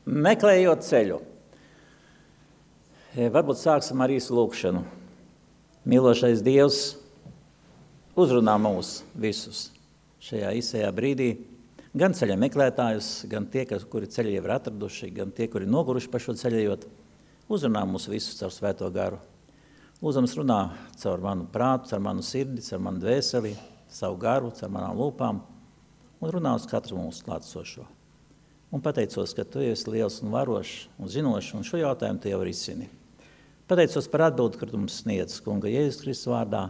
Meklējot ceļu. Varbūt sāksim ar īsu lūkšanu. Mīlošais Dievs uzrunā mūs visus šajā īsajā brīdī. Gan ceļa meklētājus, gan tie, kuri ceļu jau ir atraduši, gan tie, kuri noguruši pa šo ceļējot. Uzrunā mūs visus caur Svēto garu. Lūdzams runā caur manu prātu, caur manu sirdi, caur manu dvēseli, savu garu, caur manām lūpām un runā uz katru mūsu klātsošo. Un pateicos, ka tu esi liels un varošs un zinošs, un šo jautājumu tu jau risini. Pateicos par atbildi, kur tu mums sniedz, Kunga Jēzus Kristus vārdā.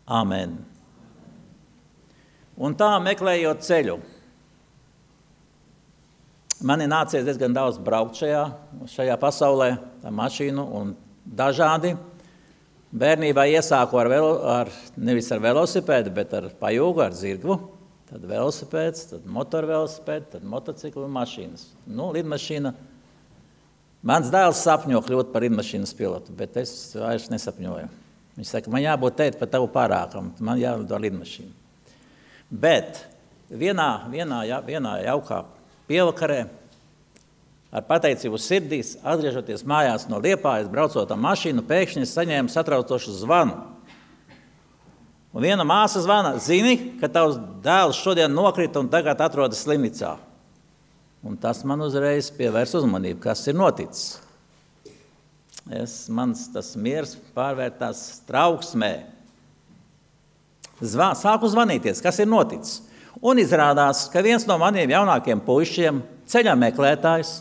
Āmen. Un tā meklējot ceļu. Man ir nācies diezgan daudz braukt šajā pasaulē, ar mašīnu un dažādi. Bērnībā iesāku nevis ar velosipēdu, bet ar pajūgu, ar zirgu. Tad velosipēds, tad motorvelosipēds, tad motocikli un mašīnas. Lidmašīna. Mans dēls sapņo kļūt par lidmašīnas pilotu, bet es vairs nesapņoju. Viņš saka, man jābūt tēt par tavu pārākam, man jālido lidmašīna. Bet vienā jaukā pievakarē, ar pateicību sirdīs, atgriežoties mājās no Liepājas, braucot ar mašīnu, pēkšņi saņēmu satraucošu zvanu. Un viena māsa zvana, zini, ka tavs dēls šodien nokrita un tagad atrodas slimnīcā. Un tas man uzreiz pievērs uzmanību, kas ir noticis. Mans tas miers pārvērtās trauksmē. Sāku zvanīties, kas ir noticis. Un izrādās, ka viens no maniem jaunākiem puišiem, ceļa meklētājs,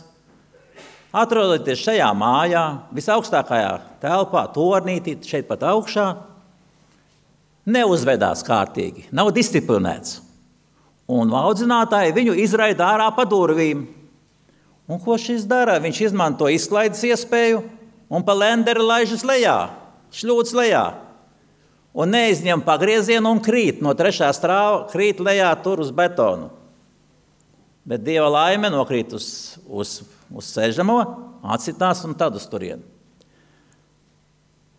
atrodoties šajā mājā, visaugstākajā telpā, tornītī, šeit pat augšā, neuzvedās kārtīgi, nav disciplinēts. Un audzinātāji viņu izraida ārā pa durvīm. Un ko šis dara? Viņš izmanto izklaides iespēju un pa lenderi laižas lejā, šļūts lejā. Un neizņem pagriezienu un krīt no 3. stāva, krīt lejā tur uz betonu. Bet Dieva laime nokrīt uz sežamo, atsitās un tad uz turienu.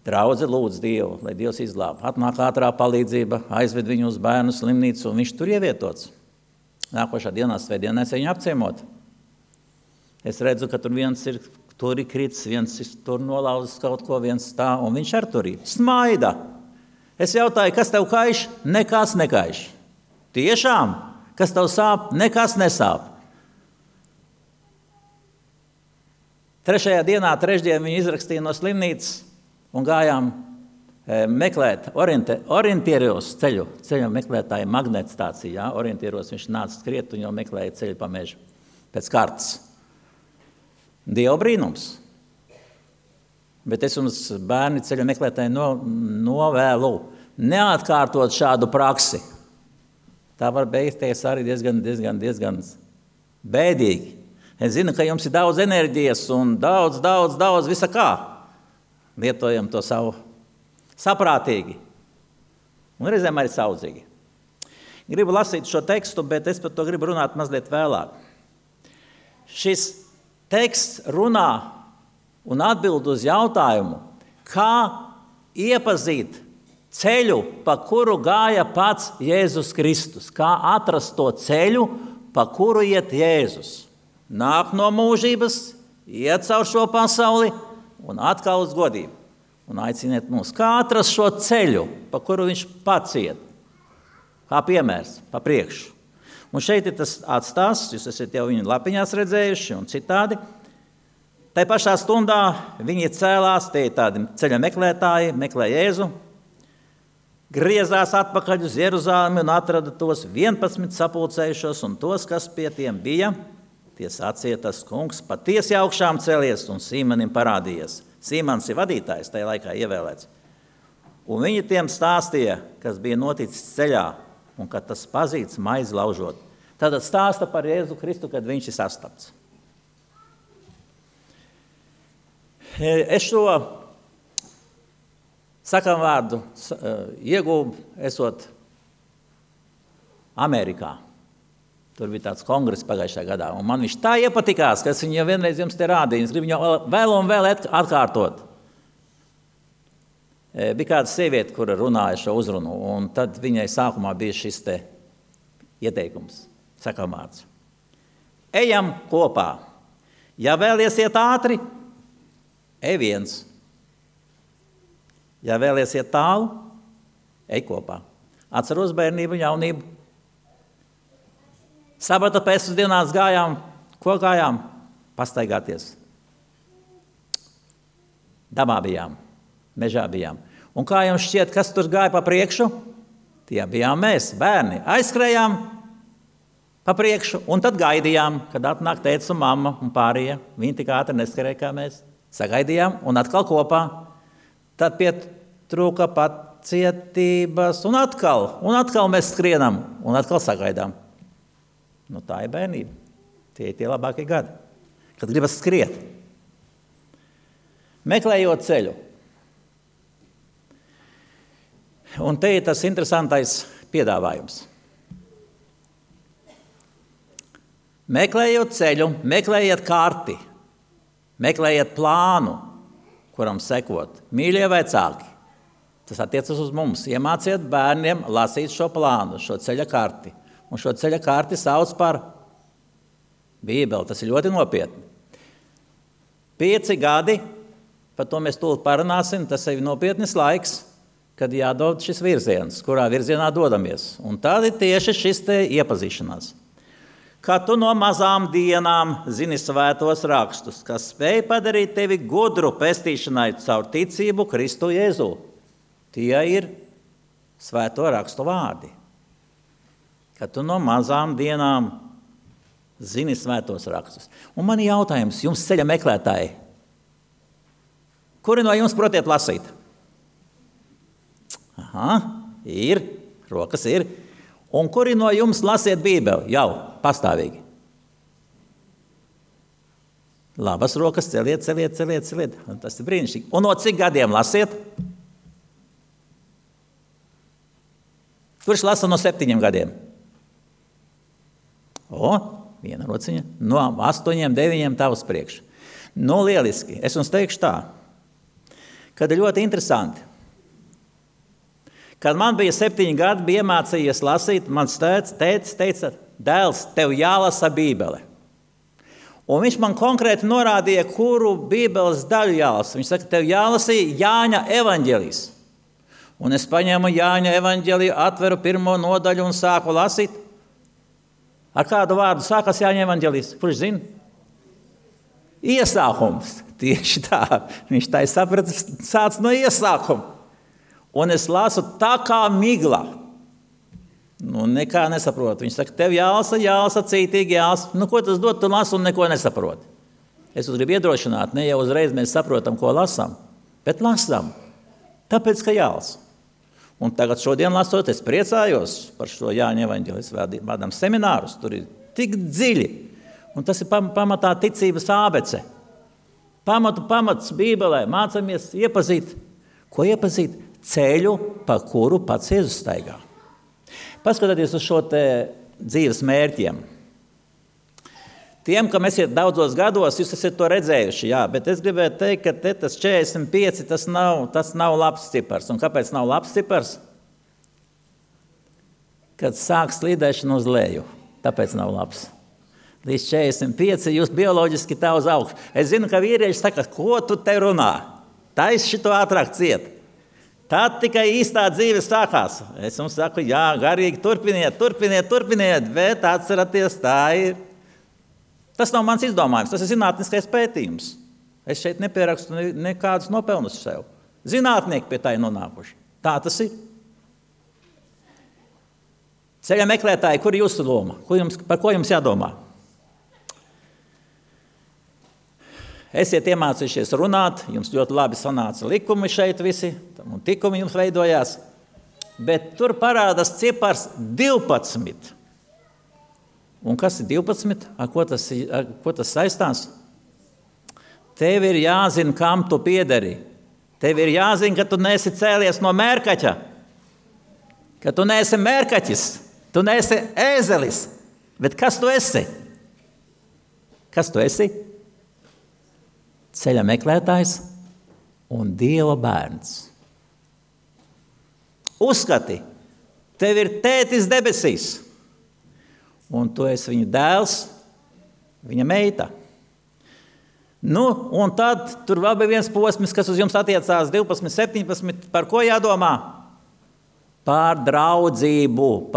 Draudze lūdz Dievu, lai Dievs izglāb. Atnāk ātrā palīdzība, aizved viņu uz bērnu slimnīcu, un viņš tur ievietots. Nākošā dienā svētdienās viņu apciemot. Es redzu, ka tur viens ir tur krits, viens ir tur nolauzis kaut ko, viens tā, un viņš ar tur ir. Smaida. Es jautāju, kas tev kaiš? Nekas nekaiš. Tiešām? Kas tev sāp? Nekas nesāp. 3. dienā, trešdien viņu izrakstīja no slimnīcas, un gājām meklēt orientieros ceļu meklētāju magnētstācijā. Orientieros viņš nāca skriet un jau meklēja ceļu pa mežu pēc kartas. Dieva brīnums. Bet es jums, bērni ceļu meklētāji, novēlu neatkārtot šādu praksi. Tā var beigties arī diezgan bēdīgi. Es zinu, ka jums ir daudz enerģijas un daudz visa kā. Lietojam to savu saprātīgi un reizēm arī saudzīgi. Gribu lasīt šo tekstu, bet es par to gribu runāt mazliet vēlāk. Šis teksts runā un atbild uz jautājumu, kā iepazīt ceļu, pa kuru gāja pats Jēzus Kristus, kā atrast to ceļu, pa kuru iet Jēzus. Nāk no mūžības, iet caur šo pasauli, un atkal uz godību. Un aiciniet mūs, kā atrast šo ceļu, pa kuru viņš pats iet. Kā piemērs, pa priekšu. Un šeit ir tas atstāsts, jūs esat jau viņu lapiņās redzējuši un citādi. Tai pašā stundā viņi cēlās, tie tādi ceļa meklētāji, meklē Jēzu, griezās atpakaļ uz Jeruzalemi un atrada tos 11 sapulcējušos un tos, kas pie tiem bija. Tie sacīja, tas kungs patiesi augšām celies un Sīmanim parādījies. Sīmans ir vadītājs, tajā laikā ievēlēts. Un viņi tiem stāstīja, kas bija noticis ceļā un kad tas pazīts maizi laužot. Tad stāsta par Jēzu Kristu, kad viņš ir sastapts. Es šo sakām vārdu iegūbu esot Amerikā. Tur bija tāds kongress pagājušajā gadā, un man viņš tā iepatikās, ka es viņu jau vienreiz jums te rādīju, es gribu viņu vēl un vēl atkārtot. Bija kāda sieviete, kura runāja šo uzrunu, un tad viņai sākumā bija šis te ieteikums, sakām vārds. Ejam kopā, Ja vēlies iet ātri, ej viens. Ja vēlies iet tālu, ej kopā. Atceros bērnību, jaunību. Sabata pēcpusdienās gājām, ko gājām? Pastaigāties. Dabā bijām, mežā bijām. Un kā jums šķiet, kas tur gāja pa priekšu? Tie bijām mēs, bērni. Aizskrējām pa priekšu un tad gaidījām, kad atnāk tētis un mamma un pārējie. Viņi tik ātri neskrēja kā mēs. Sagaidījām un atkal kopā. Tad pietrūka pacietības un atkal mēs skrienam un atkal sagaidām. Nu, tā ir bērnība. Tie ir tie labākie gadi, kad gribas skriet. Meklējot ceļu. Un te ir tas interesantais piedāvājums. Meklējot ceļu, meklējiet karti, meklējiet plānu, kuram sekot. Mīļie vecāki, tas attiecas uz mums. Iemāciet bērniem lasīt šo plānu, šo ceļa karti. Un šo ceļa karti sauc par Bībeli. Tas ir ļoti nopietni. 5 gadi, par to mēs tūlīt parunāsim, tas ir nopietnis laiks, kad jādod šis virziens, kurā virzienā dodamies. Un tad ir tieši šis te iepazīšanās. Kad tu no mazām dienām zini svētos rakstus, kas spēj padarīt tevi gudru pestīšanai caur ticību Kristu Jēzu. Tie ir svēto rakstu vārdi. Kad tu no mazām dienām zini svētos rakstus. Un man ir jautājums, jums ceļa meklētāji, kuri no jums protiet lasīt? Aha, ir, rokas ir. Un kuri no jums lasiet Bībeli? Jau, pastāvīgi. Labas rokas celiet. Un tas ir brīnišķīgi. Un no cik gadiem lasiet? Kurš lasa no 7 gadiem? Viena rociņa. No 8, 9 tavs priekš. Nu, lieliski. Es jums teikšu tā, kad ir ļoti interesanti. Kad man bija 7 gadi, bija iemācījies lasīt, mans tētis teica, dēls, tev jālasa Bībele. Un viņš man konkrēti norādīja, kuru Bībeles daļu jālasa. Viņš saka, tev jālasīja Jāņa evaņģēlijs. Un es paņēmu Jāņa evaņģēliju, atveru 1. nodaļu un sāku lasīt. Ar kādu vārdu sākas Jāņa evaņģēlijs? Kurš zina? Iesākums. Tieši tā. Viņš tā ir sapratis, sāc no iesākuma. Un es lasu tā kā migla. Nu, nekā nesaprotu. Viņš saka, tev jālasa, cītīgi jālasa. Nu, ko tas dod? Tu lasi un neko nesaproti. Es jūs gribu iedrošināt, ne jau uzreiz mēs saprotam, ko lasām, bet lasām. Tāpēc, ka jālasa. Un tagad šodien lasot, es priecājos par šo Jāņa evaņģēliju. Vādām seminārus, tur ir tik dziļi. Un tas ir pamatā ticības ābece. Pamats Bībelē. Mācamies iepazīt. Ko iepazīt? Ceļu, pa kuru pats Jēzus staigā. Paskatieties uz šo te dzīves mērķiem. Tiem, kam esiet daudzos gados, jūs esat to redzējuši, jā, bet es gribētu teikt, ka tas 45, tas nav labs cipars. Un kāpēc nav labs cipars? Kad sāk slīdēšana uz leju, tāpēc nav labs. Līdz 45 jūs bioloģiski tā uz augšu. Es zinu, ka vīrieši saka, ko tu te runā? Tais šito ātrāk ciet. Tad tikai īstā dzīve sākās. Es jums saku, jā, garīgi turpiniet, bet atceraties, tā ir. Tas nav mans izdomājums, tas ir zinātniskais pētījums. Es šeit nepierakstu nekādus nopelnus sev. Zinātnieki pie tā ir nonākuši. Tā tas ir. Ceļa meklētāji, kur ir jūsu loma? Par ko jums jādomā? Esiet iemācījušies runāt, jums ļoti labi sanāca likumi šeit visi, un tikumi jums veidojās, bet tur parādās cipars 12. Un kas ir 12? Ar ko tas saistās? Tev ir jāzina, kam tu piederi. Tev ir jāzina, ka tu neesi cēlies no mērkaķa, ka tu neesi mērkaķis, tu neesi ēzelis. Bet kas tu esi? Kas tu esi? Ceļa meklētājs un Dieva bērns. Uzskati, tev ir tētis debesīs, un tu esi viņa dēls, viņa meita. Nu, un tad tur vēl bija viens posms, kas uz jums attiecās 12, 17, par ko jādomā? Par draudzību,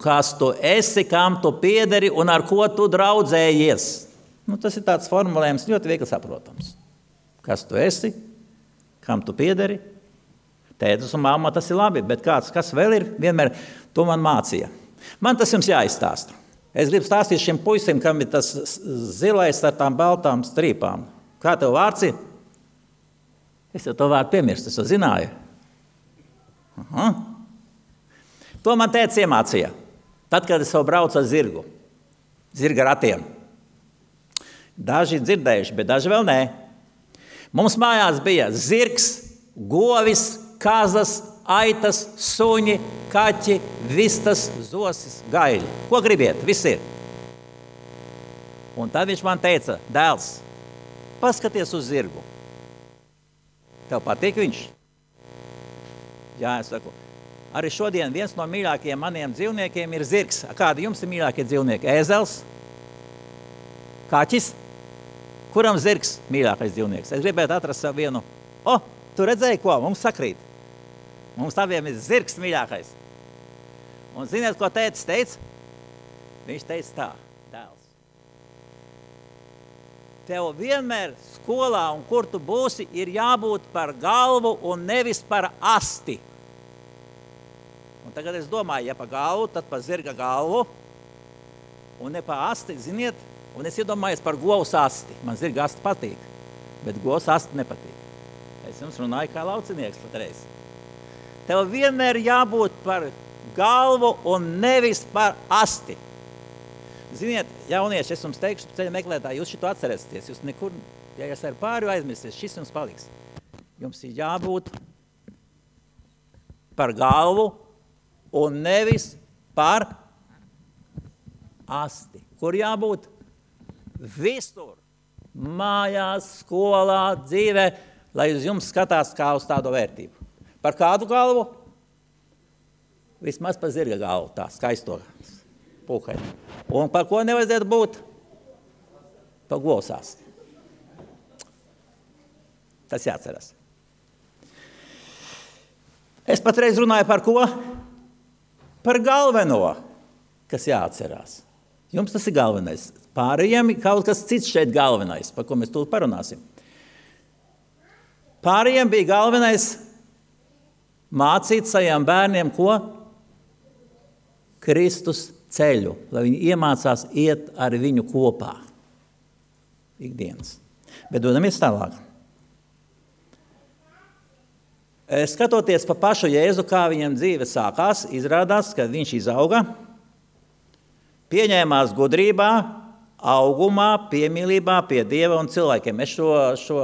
kas tu esi, kam tu piederi un ar ko tu draudzējies. Nu, tas ir tāds formulējums ļoti viegli saprotams. Kas tu esi, kam tu piederi? Tētis un mamma, tas ir labi, bet kas vēl ir? Vienmēr to man mācīja. Man tas jums jāizstāsta. Es gribu stāstīt šim puisim, kam ir tas zilais ar tām baltām strīpām. Kā tev vārds ir? Es jau to vārdu piemirstu, es to zināju. To man tētis iemācīja. Tad, kad es jau braucu ar zirgu. Zirga ratiem. Daži dzirdējuši, bet daži vēl nē. Mums mājās bija zirgs, govis, kazas, aitas, suņi, kaķi, vistas, zosis, gaļi. Ko gribiet? Viss ir. Un tad viņš man teica, dēls, paskaties uz zirgu. Tev patīk viņš? Jā, es saku, arī šodien viens no mīļākajiem maniem dzīvniekiem ir zirgs. Kādi jums ir mīļākie dzīvnieki? Ēzels? Kaķis? Kuram zirgs mīļākais dzīvnieks? Es gribētu atrast sev vienu. Tu redzēji ko? Mums sakrīt. Mums abiem ir zirgs mīļākais. Un ziniet, ko tētis teica? Viņš teica tā, dēls. Tev vienmēr skolā un kur tu būsi, ir jābūt par galvu un nevis par asti. Un tagad es domāju, ja pa galvu, tad pa zirga galvu un ne pa asti, ziniet, un es iedomājos par govs asti. Man zirga asti patīk, bet govs asti nepatīk. Es jums runāju kā laucinieks patreiz. Tev vienmēr jābūt par galvu un nevis par asti. Ziniet, jaunieši, es jums teikšu, ceļa meklētāji, jūs šito atcerēsieties. Jūs nekur, ja jūs ar pāri aizmirsties, šis jums paliks. Jums ir jābūt par galvu un nevis par asti. Kur jābūt? Visur. Mājās, skolā, dzīvē, lai uz jums skatās kā uz tādu vērtību. Par kādu galvu? Vismaz par zirga galvu, tā skaisto pūkaini. Un par ko nevajadzētu būt? Par govs asti. Tas jāatceras. Es patreiz runāju par ko? Par galveno, kas jāatcerās. Jums tas ir galvenais. Pārējiem kaut kas cits šeit galvenais, par ko mēs tūlīt parunāsim. Pārējiem bija galvenais mācīt saviem bērniem, ko? Kristus ceļu, lai viņi iemācās iet ar viņu kopā. Ikdienas. Bet dodamies tālāk. Skatoties pa pašu Jēzu, kā viņam dzīve sākās, izrādās, ka viņš izauga, pieņēmās gudrībā, augumā, piemīlībā pie Dieva un cilvēkiem. Es šo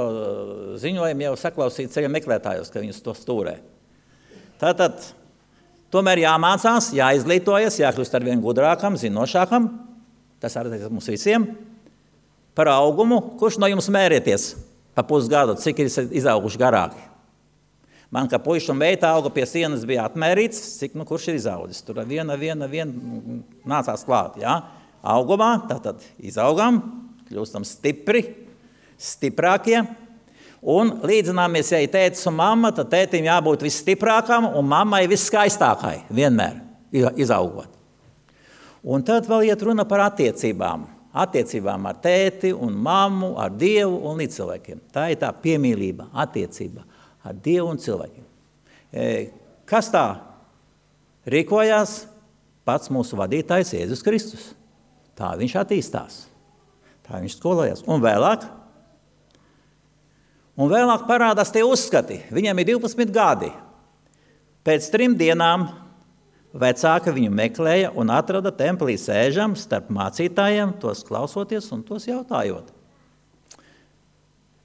ziņojumu jau saklausīju ceļa meklētājos, ka viņus to stūrē. Tātad, tomēr jāmācās, jāizglītojas, jākļūst ar vien gudrākam, zinošākam, tas arī mums visiem, par augumu. Kurš no jums mērieties pa pusgadu, cik ir izauguši garāki? Man, kā puiša un meita auga pie sienas, bija atmērīts, cik, kurš ir izaudzis. Tur viena nācās klāt, jā. Augumā, tātad izaugam, kļūstam stipri, stiprākie. Un līdzināmies, ja ir tētis un mamma, tad tētim jābūt visstiprākam un mammai visskaistākai, vienmēr izaugot. Un tad vēl iet runa par attiecībām. Attiecībām ar tēti un mammu, ar Dievu un līdzcilvēkiem. Tā ir tā piemīlība, attiecība ar Dievu un cilvēkiem. Kas tā rīkojās? Pats mūsu vadītājs Jēzus Kristus. Tā viņš attīstās. Tā viņš skolojās. Un vēlāk parādās tie uzskati. Viņam ir 12 gadi. Pēc 3 dienām vecāki viņu meklēja un atrada templī sēžam starp mācītājiem, tos klausoties un tos jautājot.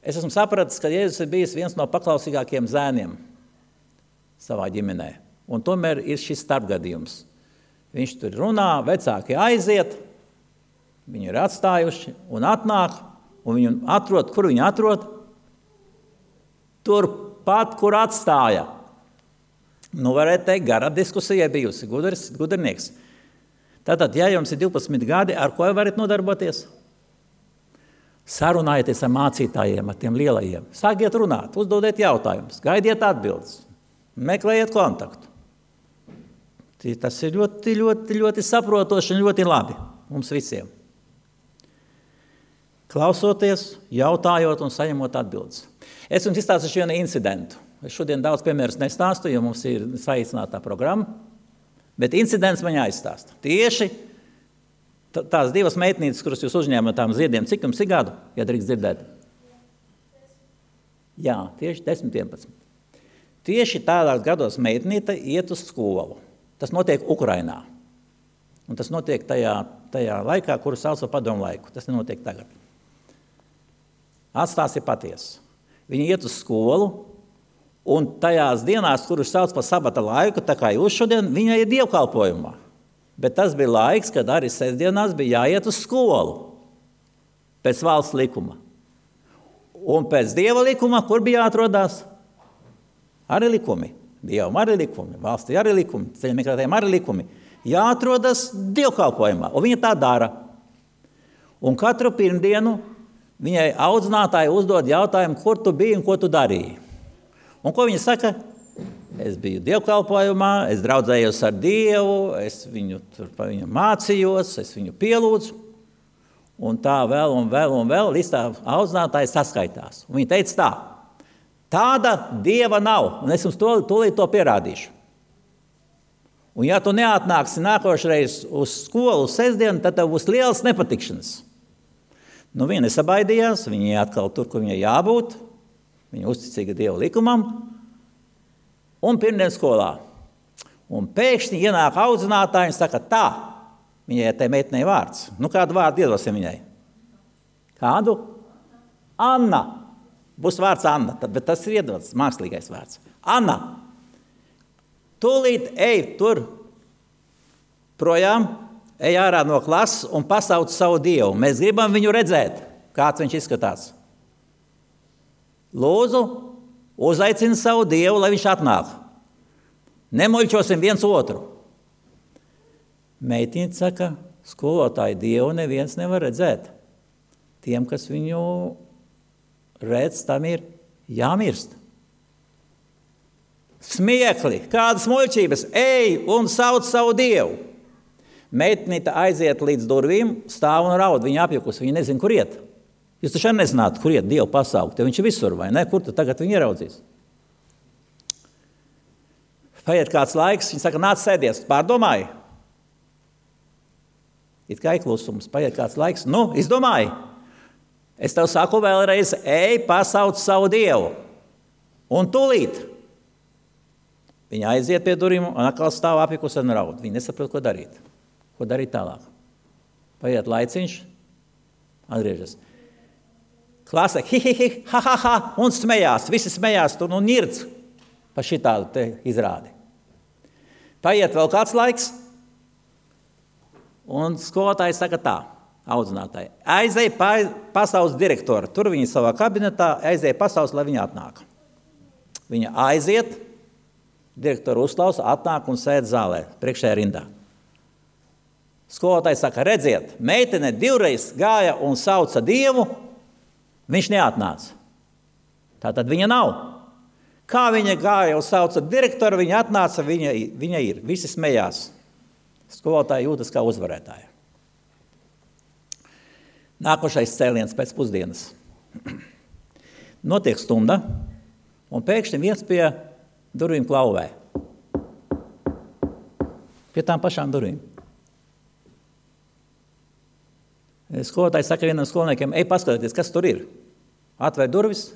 Es esmu sapratis, ka Jēzus ir bijis viens no paklausīgākiem zēniem savā ģimenē. Un tomēr ir šis starpgadījums. Viņš tur runā, vecāki aiziet, viņi ir atstājuši un atnāk, un viņu atrod, kur viņi atrod? Turpat, kur atstāja. Varētu teikt, gara diskusija bijusi, gudrinieks. Tātad, ja jums ir 12 gadi, ar ko varat nodarboties? Sarunājieties ar mācītājiem, ar tiem lielajiem. Sākiet runāt, uzdodiet jautājumus, gaidiet atbildes, meklējiet kontaktu. Tas ir ļoti, ļoti, ļoti saprotoši un ļoti labi mums visiem. Klausoties, jautājot un saņemot atbildes. Es jums izstāstīšu vienu incidentu. Es šodien daudz piemērus nestāstu, jo mums ir saīsinātā programma, bet incidents man jāizstāsta. Tieši tās divas meitnītes, kuras jūs uzņēmat tām ziediem, cik jums ir gadu, ja drīkst dzirdēt? Jā, tieši 10-11. Tieši tādās gados meitnīte iet uz skolu. Tas notiek Ukrainā. Un tas notiek tajā laikā, kuru sauc par padomu laiku. Tas nenotiek tagad. Atstāsts ir patiesa. Viņi iet uz skolu, un tajās dienās, kuras sauc par sabata laiku, tā kā jūs šodien, viņai ir dievkalpojumā. Bet tas bija laiks, kad arī sestdienās bija jāiet uz skolu pēc valsts likuma. Un pēc dieva likuma, kur bija jāatrodās? Arī likumi. Dievam arī likumi, valstī arī likumi, ceļa meklētājiem arī likumi. Jāatrodas dievkalpojumā, un viņa tā dara. Un katru pirmdienu viņai audzinātāji uzdod jautājumu, kur tu biji un ko tu darīji. Un ko viņa saka? Es biju dievkalpojumā, es draudzējos ar Dievu, es viņu mācījos, es viņu pielūdzu. Un tā vēl un vēl un vēl, līdz tā audzinātāji saskaitās. Un viņa teica tā: tāda Dieva nav, un es jums tūlīt to pierādīšu. Un ja tu neatnāksi nākošreiz uz skolu sestdienu, tad tev būs liels nepatikšanas. Nu, viņa nesabaidījās, viņa atkal tur, kur viņai jābūt, viņa uzticīga Dieva likumam, un pirmdien skolā. Un pēkšņi ienāk audzinātāji un saka tā, viņai tai meitnei vārds. Nu, kādu vārdu iedosim viņai? Kādu? Anna. Būs vārds Anna, bet tas ir iedots, mākslīgais vārds. Anna, tūlīt ej tur projām, ej ārā no klases un pasauc savu Dievu. Mēs gribam viņu redzēt, kāds viņš izskatās. Lūdzu, uzaicini savu Dievu, lai viņš atnāk. Nemuļķosim viens otru. Meitiņa saka, skolotāji, Dievu neviens nevar redzēt. Tiem, kas viņu redz, tam ir jāmirst. Smiekli, kādas muļķības, ej un sauc savu Dievu. Meitnīte aiziet līdz durvīm, stāv un raud, viņa apjukus, viņa nezin, kur iet. Jūs taču arī nezinātu, kur iet Dievu pasaukt, jo viņš ir visur, vai ne? Kur tu tagad viņu ieraudzīs? Paiet kāds laiks, viņa saka, nāc sēdies, pārdomāji. It kā ir klusums, paiet kāds laiks, nu, izdomāji. Es tev saku vēlreiz, ej, pasauc savu Dievu. Un tūlīt. Viņa aiziet pie durvīm un atkal stāv apjukus un raud. Viņa nesaprot, ko darīt. Ko darīt tālāk? Paiet laiciņš, atgriežas. Klase, ha, un smējās. Visi smējās tur un ņirds pa šitādu te izrādi. Paiet vēl kāds laiks, un skolotāji saka tā, audzinātāji. Aizej pasaules direktoru. Tur viņa savā kabinetā aizej pasaules, lai viņa atnāk. Viņa aiziet, direktoru uzklausa, atnāk un sēd zālē, priekšējā rindā. Skolotāji saka, redziet, meitene 2 reizes gāja un sauca Dievu, viņš neatnāca. Tātad viņa nav. Kā viņa gāja un sauca direktoru, viņa atnāca, viņa ir. Visi smējās. Skolotāji jūtas kā uzvarētāja. Nākošais cēliens pēc pusdienas. Notiek stunda, un pēkšņi viens pie durvīm klauvē. Pie tām pašām durvīm. Skolotājs saka vienam skolniekiem, ej paskatieties, kas tur ir. Atver durvis,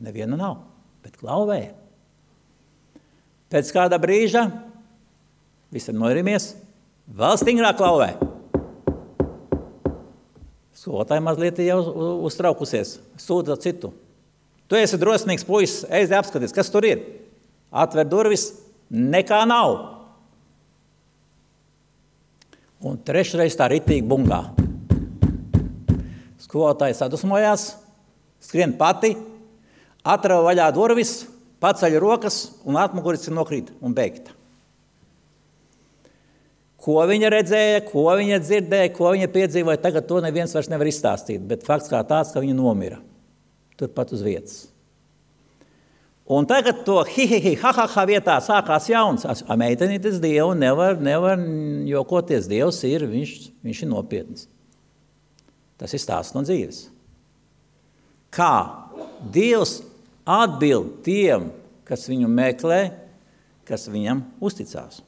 neviena nav, bet klauvē. Pēc kāda brīža, visam noirimies, vēl stingrāk klauvē. Skolotāji mazliet jau uztraukusies, sūdza citu. Tu esi drosmīgs puisis, ej apskaties, kas tur ir. Atver durvis, nekā nav. Un trešreiz tā ritīgi bungā. Skolotāji sadusmojās, skrien pati, atrava vaļā durvis, paceļ rokas un atmuguris nokrīt un beigta. Ko viņa redzēja, ko viņa dzirdēja, ko viņa piedzīvoja, tagad to neviens vairs nevar izstāstīt, bet fakts kā tāds, ka viņa nomira. Turpat uz vietas. Un tagad to ha vietā sākās jauns. Meitenītes Dievu nevar jokoties. Dievs ir, viņš ir nopietns. Tas ir stāsts no dzīves. Kā Dievs atbild tiem, kas viņu meklē, kas viņam uzticās.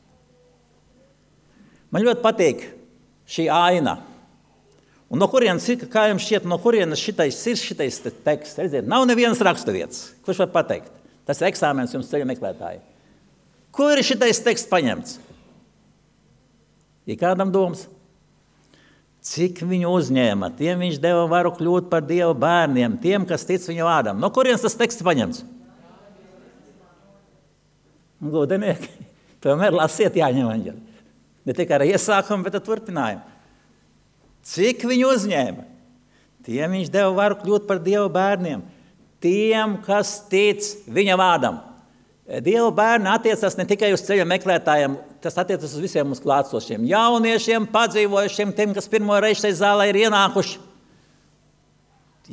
Man ļoti patīk šī aina. Un no kurienes ir, kā jums šķiet, no kurienes šitais teksts? Redziet, nav nevienas raksturvietas. Kurš var pateikt? Tas ir eksāmens jums ceļa meklētāji. Kur ir šitais teksts paņemts? Ir kādam domas? Cik viņu uzņēma? Tiem viņš deva varu kļūt par Dieva bērniem, tiem, kas tic viņu vārdam. No kurienes tas teksts paņemts? Gudenieki, tomēr lasiet Jāņa evaņģeli. Ne tikai ar iesākumu, bet ar turpinājumu. Cik viņu uzņēma? Tiem viņš deva varu kļūt par Dieva bērniem. Tiem, kas tic viņa vārdam. Dieva bērni attiecas ne tikai uz ceļa meklētājiem, tas attiecas uz visiem mums klātsošiem. Jauniešiem, padzīvojušiem, tiem, kas pirmo reizi šeit zālē ir ienākuši.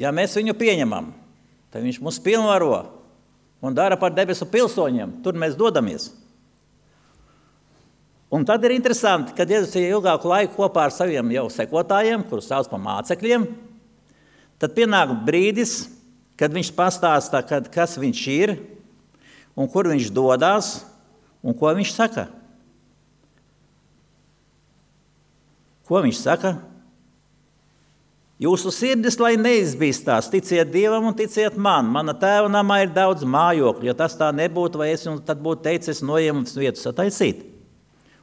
Ja mēs viņu pieņemam, tad viņš mūs pilnvaro un dara par debesu pilsoņiem. Tur mēs dodamies. Un tad ir interesanti, kad Jēzus ir ilgāku laiku kopā ar saviem jau sekotājiem, kurus sauc par mācekļiem, tad pienāk brīdis, kad viņš pastāstā, kas viņš ir un kur viņš dodās un ko viņš saka. Ko viņš saka? Jūsu sirdis, lai neizbīstās, ticiet Dievam un ticiet man. Mana tēva namā ir daudz mājokļu, ja tas tā nebūtu, vai es jums tad būtu teicis, noņemt vietu sataisīt.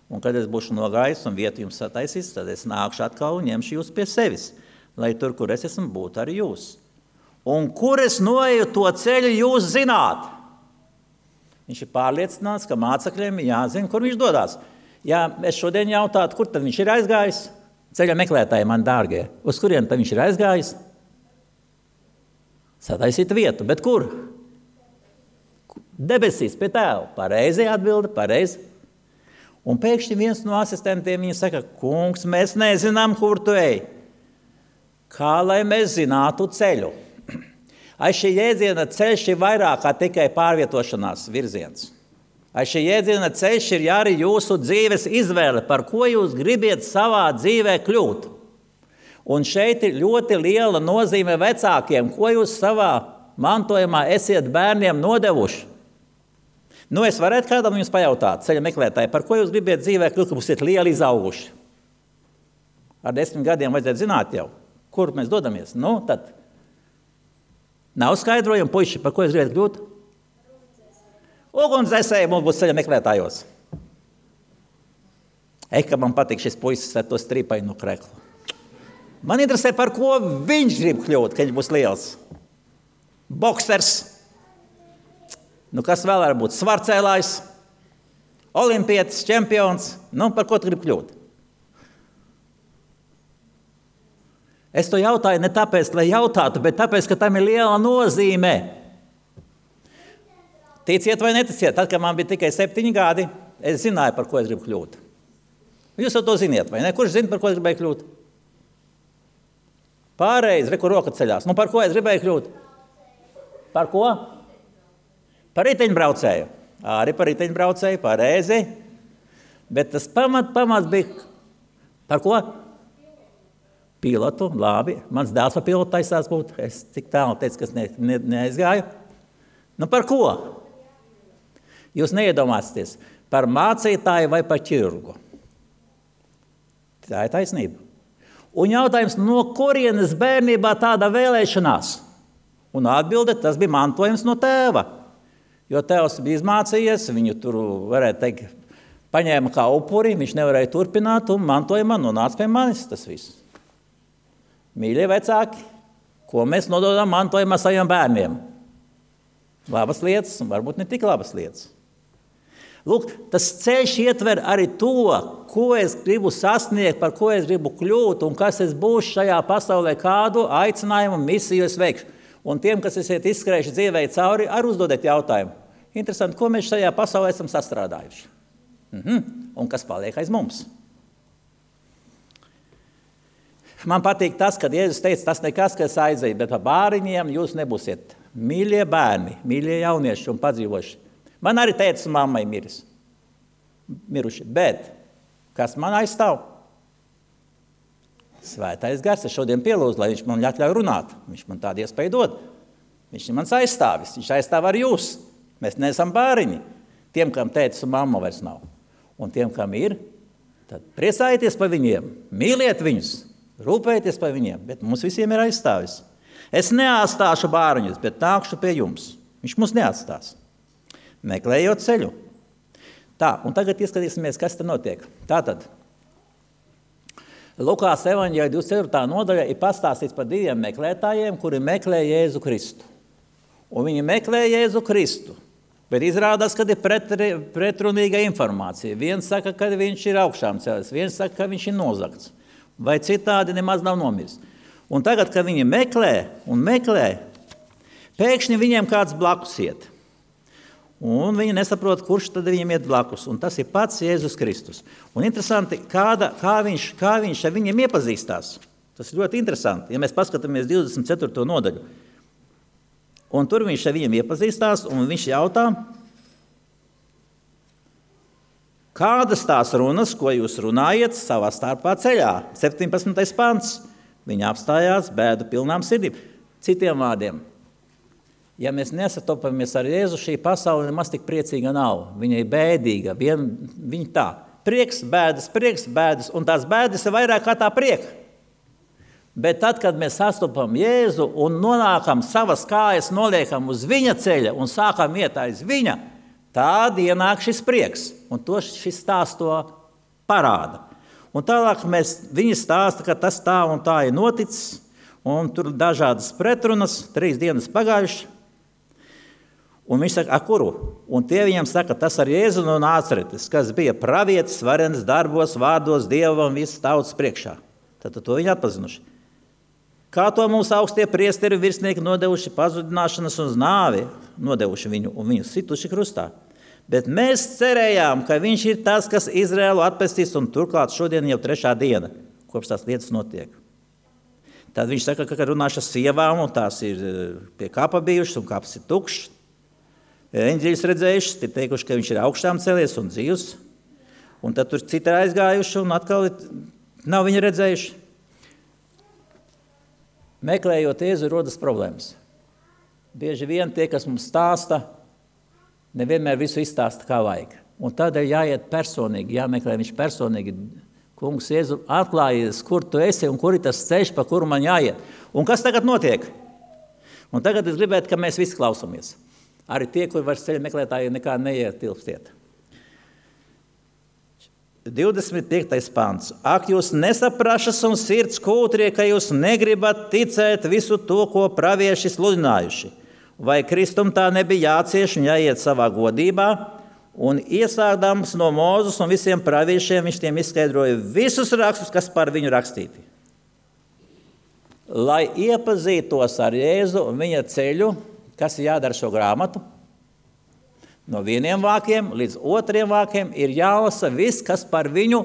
Un kad es būšu nogājis un vietu jums sataisīs, tad es nākšu atkal un ņemšu jūs pie sevis, lai tur, kur es esmu, būtu arī jūs. Un kur es noeju, to ceļu jūs zināt. Viņš ir pārliecināts, ka mācekļiem jāzina, kur viņš dodās. Ja es šodien jautātu, kur tad viņš ir aizgājis, ceļa meklētāji, man dārgie, uz kurien tad viņš ir aizgājis? Sataisīt vietu, bet kur? Debesīs pie tēva. Pareizi atbilde, pareizi. Un pēkšņi viens no asistentiem viņa saka, kungs, mēs nezinām, kur tu ej. Kā lai mēs zinātu ceļu? Aiz šī jēdziena ceļš ir vairāk kā tikai pārvietošanās virziens. Aiz šī jēdziena ceļš ir arī jūsu dzīves izvēle, par ko jūs gribiet savā dzīvē kļūt. Un šeit ir ļoti liela nozīme vecākiem, ko jūs savā mantojumā esiet bērniem nodevuši. Nu, es varētu kādam jums pajautāt, ceļa meklētāji, par ko jūs gribiet dzīvē kļūt, ka būsiet lieli izauguši? Ar 10 gadiem vajadzētu zināt jau, kur mēs dodamies. Nu, tad nav skaidrojumi, puiši, par ko jūs gribat kļūt? Ugunsdzēsēji mums būs ceļa meklētājos. Ka man patīk šis puisis ar to stripainu kreklu. Man interesē, par ko viņš grib kļūt, kad viņš būs liels. Boksers. Nu, kas vēl var būt? Svarcēlājs, olimpietis, čempions. Nu, par ko tu gribi kļūt? Es to jautāju ne tāpēc, lai jautātu, bet tāpēc, ka tam ir liela nozīme. Ticiet vai neticiet, tad, kad man bija tikai 7 gadi, es zināju, par ko es gribu kļūt. Jūs jau to ziniet, vai ne? Kurš zina, par ko es gribēju kļūt? Pārreiz, kur roka ceļās. Nu, par ko es gribēju kļūt? Par ko? Par riteņbraucēju. Arī par riteņbraucēju, pareizi. Bet tas pamats bija par ko? Pilotu, labi. Mans dēls par pilotu taisās būt. Es tik tālu teicu, ka es neaizgāju. Nu par ko? Jūs neiedomāsieties, par mācītāju vai par ķirurgu. Tā ir taisnība. Un jautājums, no kurienes bērnībā tāda vēlēšanās? Un atbilde, tas bija mantojums no tēva. Jo tēvs bija izmācījies, viņu tur, varētu teikt, paņēma kā upuri, viņš nevarēja turpināt, un mantojumā nonāca pie manis tas viss. Mīļie vecāki, ko mēs nododam mantojumā saviem bērniem? Labas lietas, un varbūt ne tik labas lietas. Lūk, tas ceļš ietver arī to, ko es gribu sasniegt, par ko es gribu kļūt, un kas es būšu šajā pasaulē, kādu aicinājumu, misiju es veikšu. Un tiem, kas esiet izskrējuši dzīvē cauri, arī uzdodiet jautājumu. Interesanti, ko mēs šajā pasaulē esam sastrādājuši. Un kas paliek aiz mums? Man patīk tas, kad Jēzus teica, tas nekas, ka es aizēju, bet par bāriņiem jūs nebūsiet. Mīļie bērni, mīļie jaunieši un padzīvoši. Man arī tētis un mammai miruši, bet kas man aizstāv? Svētais Gars, es šodien pielūdzu, lai viņš man ļauj runāt. Viņš man tādu iespēju dod. Viņš ir mans aizstāvis, viņš aizstāv ar jūs. Mēs neesam bāriņi. Tiem, kam tētis un mamma vairs nav. Un tiem, kam ir, tad priecājieties par viņiem, mīliet viņus, rūpējieties par viņiem, bet mums visiem ir aizstāvis. Es neatstāšu bāriņus, bet nākšu pie jums. Viņš mums neatstās. Meklējot ceļu. Tā, un tagad ieskatīsimies, kas te notiek. Tātad, Lukās evaņģēļa 24. nodaļa ir pastāstīts par diviem meklētājiem, kuri meklē Jēzu Kristu. Un viņi meklē Jēzu Kristu, bet izrādās, ka ir pretrunīga informācija. Viens saka, ka viņš ir augšām cēlies, viens saka, ka viņš ir nozagts, vai citādi nemaz nav nomiris. Un tagad, kad viņi meklē un meklē, pēkšņi viņiem kāds blakus iet. Un viņi nesaprot, kurš tad viņiem iet blakus. Un tas ir pats Jēzus Kristus. Un interesanti, kā viņš ar viņiem iepazīstās. Tas ir ļoti interesanti, ja mēs paskatāmies 24. nodaļu. Un tur viņš ar viņiem iepazīstās, un viņš jautā, kādas tās runas, ko jūs runājat savā starpā ceļā? 17. pants. Viņi apstājās bēdu pilnām sirdīm. Citiem vārdiem. Ja mēs nesatopamies ar Jēzu, šī pasaule nemaz tik priecīga nav. Viņa ir bēdīga, viņa tā. Prieks, bēdas, un tās bēdas ir vairāk kā tā prieka. Bet tad, kad mēs sastopam Jēzu un nonākam savas kājas, noliekam uz viņa ceļa un sākam iet aiz viņa, tad ienāk šis prieks. Un to šis stāsts to parāda. Un tālāk viņi stāsta, ka tas tā un tā ir noticis, un tur dažādas pretrunas, 3 dienas pagājuši. Un viņš saka, kuru? Un tie viņam saka, tas ar Jēzu no Nācaretes, kas bija pravietis, varens darbos, vārdos, Dievam, visas tautas priekšā. Tad to viņi atpazinuši. Kā to mums augstie priesteri virsnieki nodevuši pazudināšanas un nāvi, nodevuši viņu un viņu situši krustā. Bet mēs cerējām, ka viņš ir tas, kas Izraēlu atpestīs, un turklāt šodien jau 3. diena, kopš tās lietas notiek. Tad viņš saka, ka runāšu ar sievām, un tās ir pie kapa bijušas, un kaps ir tukšs. Eņģeļus redzējuši, ir teikuši, ka viņš ir augšām cēlies un dzīvs, un tad tur citi ir aizgājuši, un atkal nav viņu redzējuši. Meklējot Jēzu, rodas problēmas. Bieži vien tie, kas mums stāsta, nevienmēr visu izstāsta, kā vajag. Un tādēļ jāiet personīgi, jāmeklē viņš personīgi. Kungs, Jēzu, atklājies, kur tu esi un kur ir tas ceļš, pa kuru man jāiet. Un kas tagad notiek? Un tagad es gribētu, ka mēs visi klausamies. Arī tie, kuri vairs ceļa meklētāji nekā neietilpstiet. 25. pants. Ak, jūs nesaprašas un sirds kūtrie, ka jūs negribat ticēt visu to, ko pravieši sludinājuši. Vai Kristum tā nebija jācieš un jāiet savā godībā? Un iesākdams no Mūzes un visiem praviešiem, viņš tiem izskaidroja visus rakstus, kas par viņu rakstīti. Lai iepazītos ar Jēzu un viņa ceļu, kas ir jādara šo grāmatu? No 1 vākiem līdz 2 vākiem ir jālasa viss, kas par viņu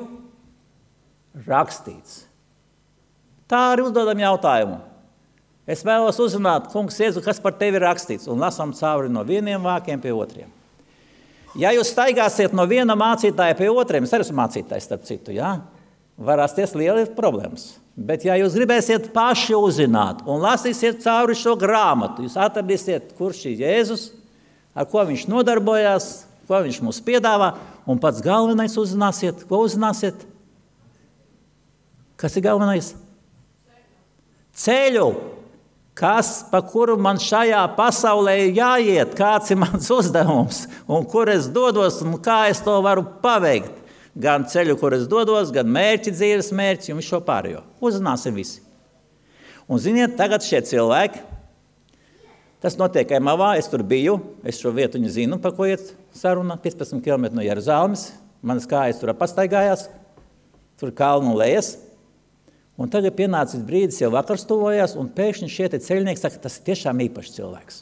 rakstīts. Tā arī uzdodam jautājumu. Es vēlos uzzināt, kungs Jēzu, kas par tevi ir rakstīts, un lasām cauri no 1 vākiem pie 2. Ja jūs staigāsiet no viena mācītāja pie 2, es arī esmu mācītājs, starp citu, jā? Var rasties lieli problēmas. Bet ja jūs gribēsiet paši uzzināt un lasīsiet cauri šo grāmatu, jūs atradīsiet, kurš ir Jēzus, ar ko viņš nodarbojās, ko viņš mums piedāvā, un pats galvenais uzzināsiet. Ko uzzināsiet? Kas ir galvenais? Ceļu. Kas, pa kuru man šajā pasaulē ir jāiet, kāds ir mans uzdevums, un kur es dodos, un kā es to varu paveikt. Gan ceļu, kur es dodos, gan mērķi, dzīves mērķi, un visu šo pārējo. Uzzināsim visi. Un ziniet, tagad šie cilvēki, tas notiek Emavā, es tur biju, es šo vietu viņu zinu, pa ko iet saruna, 15 km no Jeruzalemes, manas kājas tur pastaigājās, tur kalnu lejas, un tagad pienācis brīdis, jau vakars tuvojās, un pēkšņi šie ceļnieki saka, tas ir tiešām īpašs cilvēks.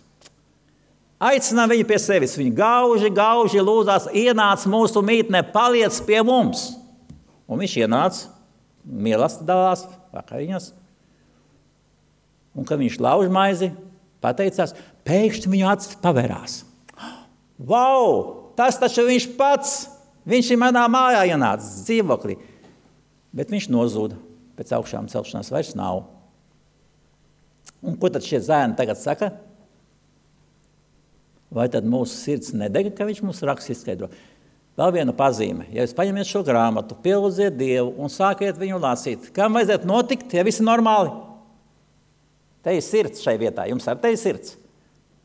Aicinām viņu pie sevis, viņi gauži lūdzās, ienāc mūsu mītnē, paliec pie mums. Un viņš ienāca, mīlestībā dalās, vakariņas, un kad viņš lauž maizi, pateicās, pēkšņi viņu acis pavērās. Vau, tas taču viņš pats, viņš ir manā mājā ienācis dzīvoklī. Bet viņš nozūda, pēc augšām celšanās vairs nav. Un ko tad šie zēni tagad saka? Vai tad mūsu sirds nedega, ka viņš mums raksts izskaidro? Vēl viena pazīme. Ja jūs paņemiet šo grāmatu, pielūdziet Dievu un sākiet viņu lasīt, kam vajadzētu notikt, ja viss ir normāli? Te ir sirds šai vietā, jums ar te ir sirds.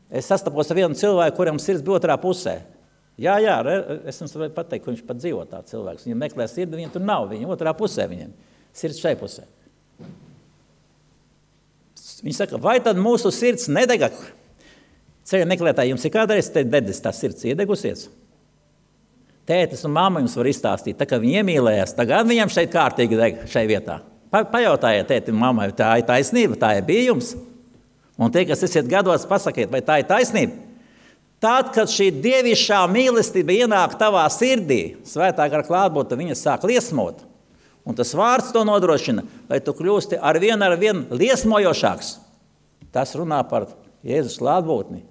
Es sastapos ar vienu cilvēku, kuram sirds bija otrā pusē. Jā, es jums varu pateikt, ka viņš pat dzīvo tā cilvēks. Viņam meklē sirdi, viņam tur nav, viņa otrā pusē viņam. Sirds šai pusē. Viņš saka, vai tad mūsu sirds nedega? Ceļa meklētāji, jums ir kādreiz te dedis tā sirds iedegusies? Tētis un mamma jums var izstāstīt, tā kā viņi iemīlējās, tagad viņam šeit kārtīgi deg šai vietā. Pajautājiet tētim un mammai, tā ir taisnība, tā ir bija jums. Un tie, kas esiet gados, pasakiet, vai tā ir taisnība? Tad, kad šī dievišķā mīlestība ienāk tavā sirdī, svētā gara klātbūtne viņa sāk liesmot. Un tas vārds to nodrošina, lai tu kļūsti ar vien liesmojošāks. Tas runā par Jēzus klātbūtni.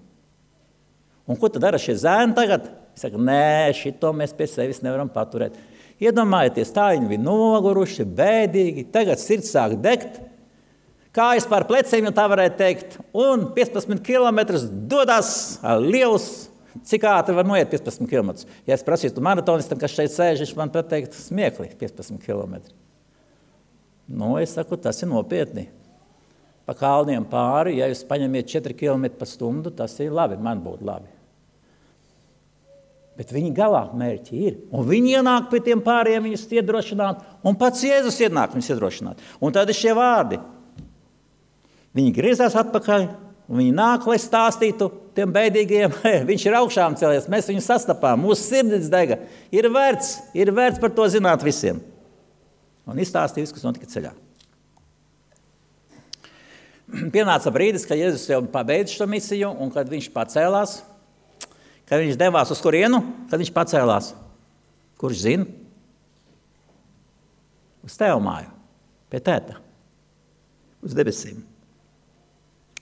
Un ko tad dara šie zēni tagad? Viņš saka, nē, šito mēs pie sevis nevaram paturēt. Iedomājieties, tā viņi bija noguruši, bēdīgi, tagad sirds sāk degt, kājas pār pleciem, ja tā varētu teikt, un 15 kilometrus dodas liels, cik ātri var noiet 15 kilometrus. Ja es prasītu maratonistam, kas šeit sēž, viņš man pateikt smiekli 15 kilometri. Nu, es saku, tas ir nopietni. Pa kalniem pāri, ja jūs paņemiet 4 kilometri pa stundu, tas ir labi, man būtu labi. Bet viņi galā mērķi ir. Un viņi ienāk pie tiem pāriem, viņus iedrošināt, un pats Jēzus ienāk viņus iedrošināt. Un tad ir šie vārdi. Viņi griezās atpakaļ, un viņi nāk, lai stāstītu tiem bēdīgiem, viņš ir augšām cēlies, mēs viņu sastapām, mūsu sirdis dega. Ir vērts par to zināt visiem. Un izstāstīja visu, kas notika ceļā. Pienāca brīdis, kad Jēzus jau pabeidz šo misiju, un kad viņš pacēlās, kad viņš devās uz kurienu, kad viņš pacēlās. Kurš zina? Uz tevu māju, pie tēta, uz debesīm.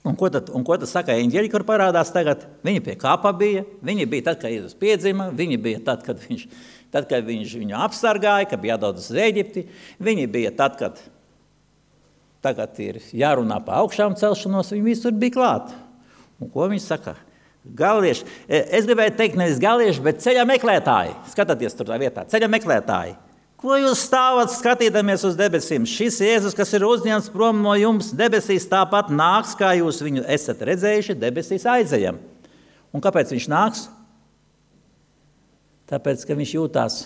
Un ko tad saka eņģeļi, kur parādās tagad? Viņi pie kāpa bija, viņi bija tad, kad Jēzus piedzima, viņi bija tad, kad viņš viņu apsargāja, kad bija jādod uz Ēģipti, viņi bija tad, kad tagad ir jārunā par augšām celšanos, viņi visur bija klāt. Un ko viņi saka? Galieši, es gribēju teikt nevis galieši, bet ceļa meklētāji. Skatieties tur tā vietā, ceļa meklētāji. Ko jūs stāvat skatīdamies uz debesīm? Šis Jēzus, kas ir uzņemts prom no jums, debesīs tāpat nāks, kā jūs viņu esat redzējuši, debesīs aizejam. Un kāpēc viņš nāks? Tāpēc, ka viņš jūtās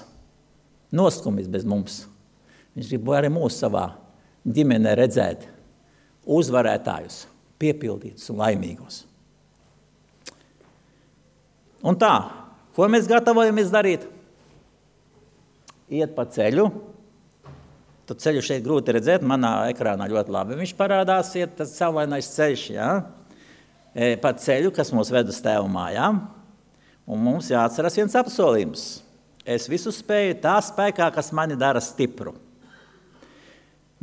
nostumis bez mums. Viņš grib arī mūs savā ģimenē redzēt uzvarētājus, piepildītus un laimīgus. Un tā, ko mēs gatavojamies darīt? Iet pa ceļu. Tu ceļu šeit grūti redzēt, manā ekrānā ļoti labi. Viņš parādās, iet tas saulainais ceļš, ja? Pa ceļu, kas mūs ved uz tēvu mājām. Un mums jāatceras viens apsolījums. Es visu spēju tā spēkā, kas mani dara stipru.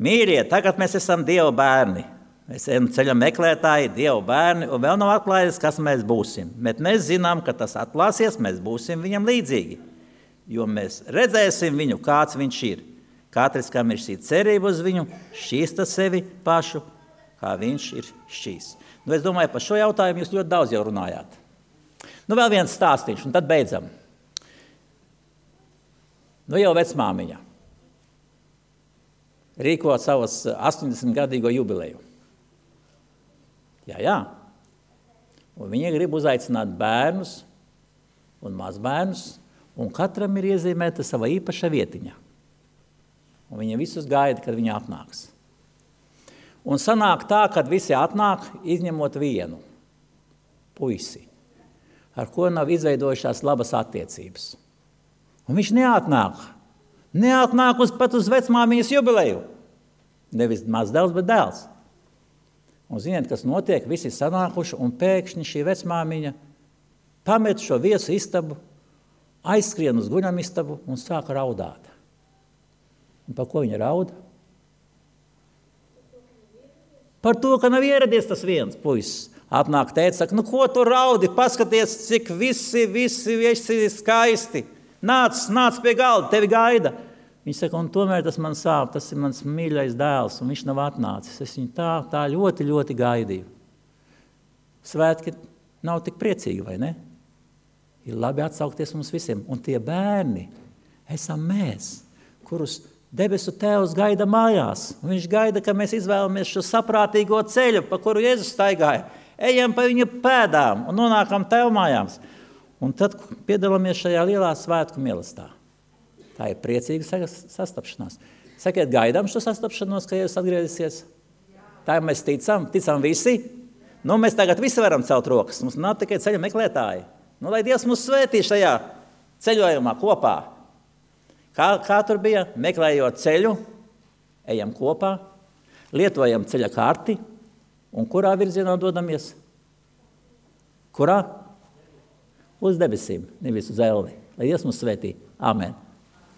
Mīļie, tagad mēs esam Dieva bērni. Mēs esam ceļa meklētāji, Dieva bērni, un vēl nav atklājies, kas mēs būsim. Bet mēs zinām, ka tas atklāsies, mēs būsim viņam līdzīgi. Jo mēs redzēsim viņu, kāds viņš ir. Katrs, kam ir šī cerība uz viņu, šķīsta sevi pašu, kā viņš ir šķīs. Nu, es domāju, par šo jautājumu jūs ļoti daudz jau runājāt. Nu, vēl viens stāstīšu, un tad beidzam. Nu, jau vecmāmiņa rīko savas 80-gadīgo jubileju. Jā. Un viņa grib uzaicināt bērnus un mazbērnus, un katram ir iezīmēta sava īpaša vietiņa. Un viņa visus gaida, kad viņa atnāks. Un sanāk tā, kad visi atnāk, izņemot vienu puisi, ar ko nav izveidojušās labas attiecības. Un viņš neatnāk pat uz vecmāmiņas jubileju. Nevis mazdēls, bet dēls. Un ziniet, kas notiek, visi sanākuši, un pēkšņi šī vecmāmiņa pamet šo viesu istabu, aizskrien uz guļamistabu un sāk raudāt. Un par ko viņa rauda? Par to, ka nav ieradies tas viens puisis. Atnāk tētis, saka, nu ko tu raudi, paskaties, cik visi skaisti. Nāc pie galda, tevi gaida. Viņš saka, un tomēr tas man sāp, tas ir mans mīļais dēls, un viņš nav atnācis. Es viņu tā ļoti, ļoti gaidīju. Svētki nav tik priecīgi, vai ne? Ir labi atsaukties mums visiem. Un tie bērni esam mēs, kurus debesu Tēvs gaida mājās. Un viņš gaida, ka mēs izvēlamies šo saprātīgo ceļu, pa kuru Jēzus staigāja. Ejam pa viņa pēdām un nonākam Tev mājās. Un tad piedalāmies šajā lielā svētku mīlestībā. Tā ir priecīga sastapšanās. Sakiet, gaidām šo sastapšanos, ka Jēzus atgriezīsies? Tā mēs ticam visi. Nu, mēs tagad visi varam celt rokas. Mums nav tikai ceļa meklētāji. Nu, lai Dievs mūs svētī šajā ceļojumā kopā. Kā tur bija? Meklējot ceļu, ejam kopā, lietojam ceļa karti, un kurā virzienā dodamies? Kurā? Uz debesīm, nevis uz elli. Lai Dievs mūs svētī. Amen.